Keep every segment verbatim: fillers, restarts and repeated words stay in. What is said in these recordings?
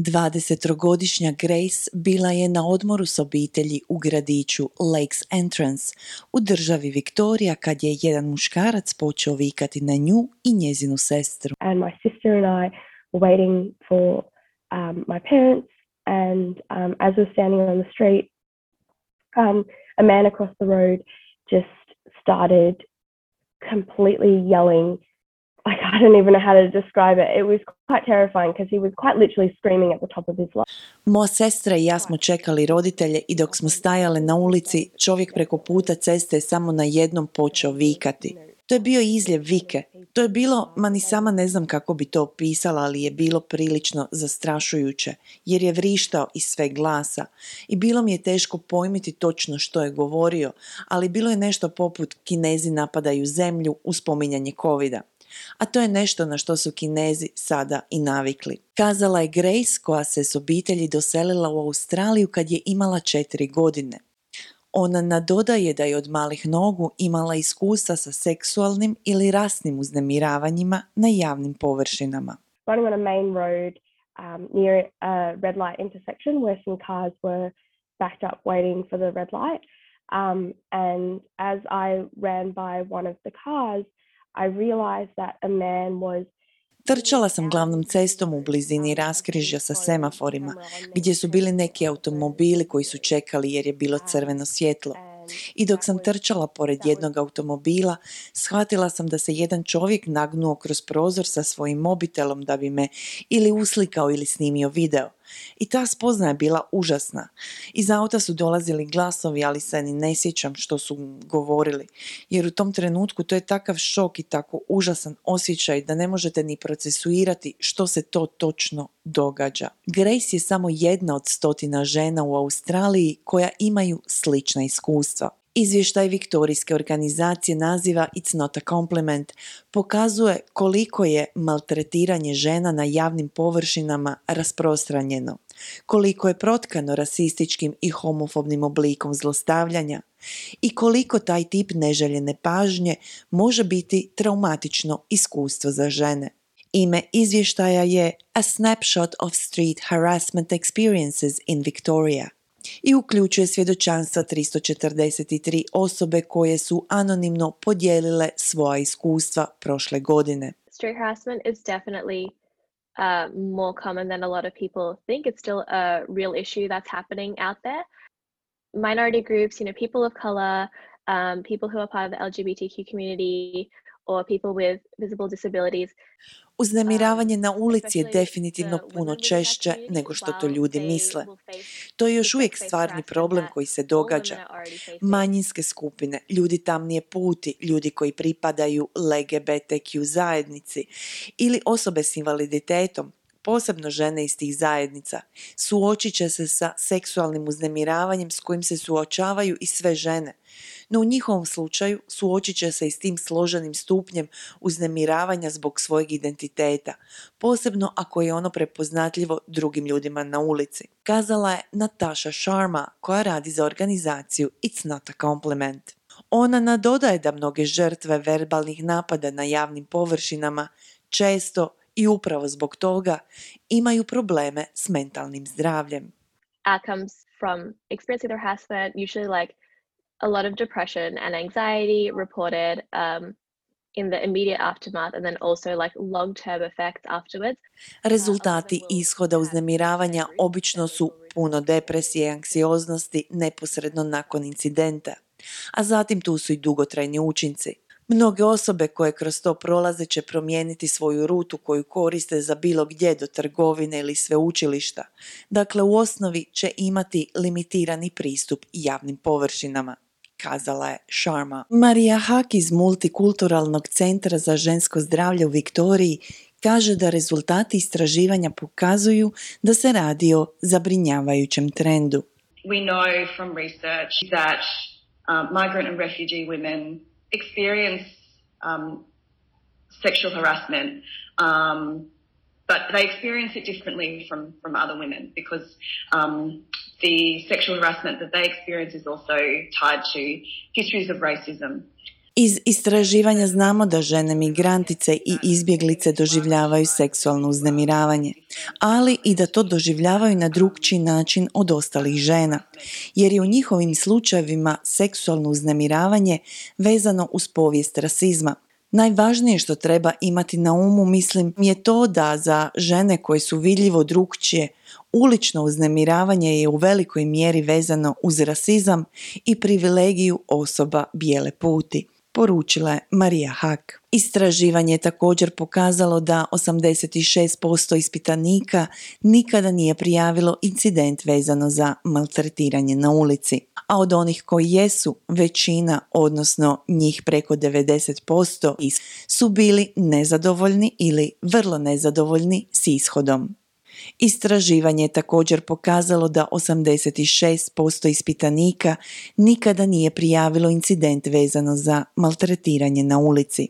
dvadesettrogodišnja Grace bila je na odmoru s obitelji u gradiću Lakes Entrance u državi Victoria kad je jedan muškarac počeo vikati na nju i njezinu sestru. And my sister and I were waiting for um, my parents, and um, as we were standing on the street, um, a man across the road just started completely yelling. Like, I don't even know how to describe it. It was quite terrifying because he was quite literally screaming at the top of his lungs. Moja sestra i ja smo čekali roditelje i dok smo stajale na ulici, čovjek preko puta ceste je samo na jednom počeo vikati. To je bio izljev vike. To je bilo, ma ni sama ne znam kako bi to opisala, ali je bilo prilično zastrašujuće, jer je vrištao iz sve glasa. I bilo mi je teško pojmiti točno što je govorio, ali bilo je nešto poput Kinezi napadaju zemlju uz spominjanje covida. A to je nešto na što su Kinezi sada i navikli. Kazala je Grace, koja se s obitelji doselila u Australiju kad je imala četiri godine. Ona nadodaje da je od malih nogu imala iskustva sa seksualnim ili rasnim uznemiravanjima na javnim površinama. Running on a main road um, near a red light intersection where some cars were backed up waiting for the red light. Um, and as I ran by one of the cars, I realized that a man was Trčala sam glavnom cestom u blizini raskrižja sa semaforima, gdje su bili neki automobili koji su čekali jer je bilo crveno svjetlo. I dok sam trčala pored jednog automobila, shvatila sam da se jedan čovjek nagnuo kroz prozor sa svojim mobitelom da bi me ili uslikao ili snimio video. I ta spoznaja je bila užasna. Iz auta su dolazili glasovi, ali se ni ne sjećam što su govorili. Jer u tom trenutku to je takav šok i tako užasan osjećaj da ne možete ni procesuirati što se to točno događa. Grace je samo jedna od stotina žena u Australiji koja imaju slična iskustva. Izvještaj viktorijske organizacije naziva It's not a compliment pokazuje koliko je maltretiranje žena na javnim površinama rasprostranjeno, koliko je protkano rasističkim i homofobnim oblikom zlostavljanja i koliko taj tip neželjene pažnje može biti traumatično iskustvo za žene. Ime izvještaja je A Snapshot of Street Harassment Experiences in Victoria i uključuje svjedočanstva tristo četrdeset tri osobe koje su anonimno podijelile svoja iskustva prošle godine. Street harassment is definitely uh, more common than a lot of people think. It's still a real issue that's happening out there. Minority groups, you know, people of color, um, people who are part of the L G B T Q community, or people with visible disabilities. Uznemiravanje na ulici je definitivno puno češće nego što to ljudi misle. To je još uvijek stvarni problem koji se događa. Manjinske skupine, ljudi tamnije puti, ljudi koji pripadaju L G B T Q zajednici ili osobe s invaliditetom, posebno žene iz tih zajednica, suočit će se sa seksualnim uznemiravanjem s kojim se suočavaju i sve žene. No u njihovom slučaju suočit će se i s tim složenim stupnjem uznemiravanja zbog svojeg identiteta, posebno ako je ono prepoznatljivo drugim ljudima na ulici. Kazala je Natasha Sharma, koja radi za organizaciju It's not a compliment. Ona nadodaje da mnoge žrtve verbalnih napada na javnim površinama često i upravo zbog toga imaju probleme s mentalnim zdravljem. Outcomes from experiencing the harassment, usually like a lot of depression and anxiety reported um, in the immediate aftermath, and then also like long-term effects afterwards. Rezultati ishoda uznemiravanja obično su puno depresije i anksioznosti neposredno nakon incidenta, a zatim tu su i dugotrajni učinci. Mnoge osobe koje kroz to prolaze će promijeniti svoju rutu koju koriste za bilo gdje do trgovine ili sveučilišta. Dakle, u osnovi će imati limitirani pristup javnim površinama, kazala je Sharma. Marija Hak iz Multikulturalnog centra za žensko zdravlje u Viktoriji kaže da rezultati istraživanja pokazuju da se radi o zabrinjavajućem trendu. We know from research that um, migrant and refugee women experience um, sexual harassment, um, but they experience it differently from, from other women because um, the sexual harassment that they experience is also tied to histories of racism. Iz istraživanja znamo da žene migrantice i izbjeglice doživljavaju seksualno uznemiravanje, ali i da to doživljavaju na drukčiji način od ostalih žena, jer je u njihovim slučajevima seksualno uznemiravanje vezano uz povijest rasizma. Najvažnije što treba imati na umu, mislim, je to da za žene koje su vidljivo drukčije, ulično uznemiravanje je u velikoj mjeri vezano uz rasizam i privilegiju osoba bijele puti, poručila je Marija Hak. Istraživanje je također pokazalo da osamdeset šest posto ispitanika nikada nije prijavilo incident vezano za maltretiranje na ulici, a od onih koji jesu, većina, odnosno njih preko devedeset posto, su bili nezadovoljni ili vrlo nezadovoljni s ishodom. Istraživanje je također pokazalo da osamdeset šest posto ispitanika nikada nije prijavilo incident vezano za maltretiranje na ulici,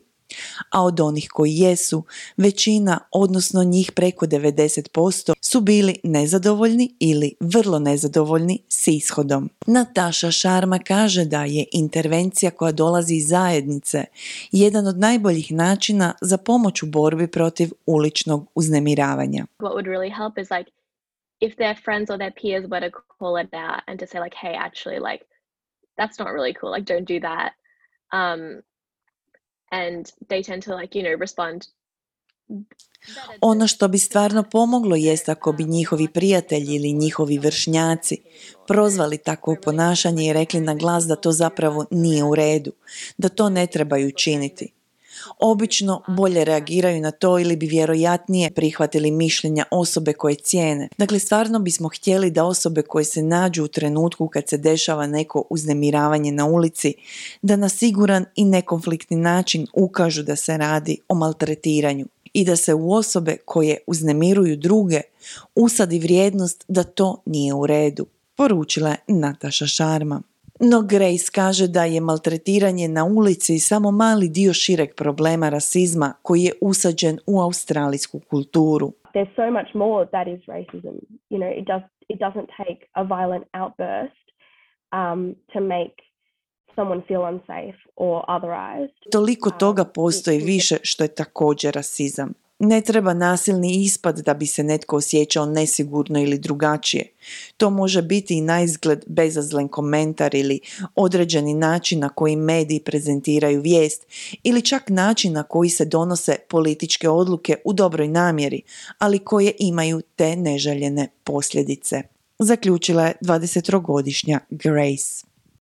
a od onih koji jesu, većina, odnosno njih preko devedeset posto, su bili nezadovoljni ili vrlo nezadovoljni s ishodom. Nataša Sharma kaže da je intervencija koja dolazi iz zajednice jedan od najboljih načina za pomoć u borbi protiv uličnog uznemiravanja. What would really help is like if their friends or their peers were to call it out and to say like, hey, actually, like that's not really cool, like don't do that. Um, and they tend to like, you know, respond. Ono što bi stvarno pomoglo jest ako bi njihovi prijatelji ili njihovi vršnjaci prozvali takvo ponašanje i rekli na glas da to zapravo nije u redu, da to ne trebaju činiti. Obično bolje reagiraju na to ili bi vjerojatnije prihvatili mišljenja osobe koje cijene. Dakle, stvarno bismo htjeli da osobe koje se nađu u trenutku kad se dešava neko uznemiravanje na ulici, da na siguran i nekonfliktni način ukažu da se radi o maltretiranju i da se u osobe koje uznemiruju druge usadi vrijednost da to nije u redu, poručila je Nataša Sharma. No Grace kaže da je maltretiranje na ulici samo mali dio šireg problema rasizma koji je usađen u australijsku kulturu. There's so much more that is racism. You know, it does it doesn't take a violent outburst um, to make someone feel unsafe or otherized. Toliko toga postoji više što je također rasizam. Ne treba nasilni ispad da bi se netko osjećao nesigurno ili drugačije. To može biti i naizgled bezazlen komentar ili određeni način na koji mediji prezentiraju vijest ili čak način na koji se donose političke odluke u dobroj namjeri, ali koje imaju te neželjene posljedice, zaključila je dvadesettrogodišnja Grace.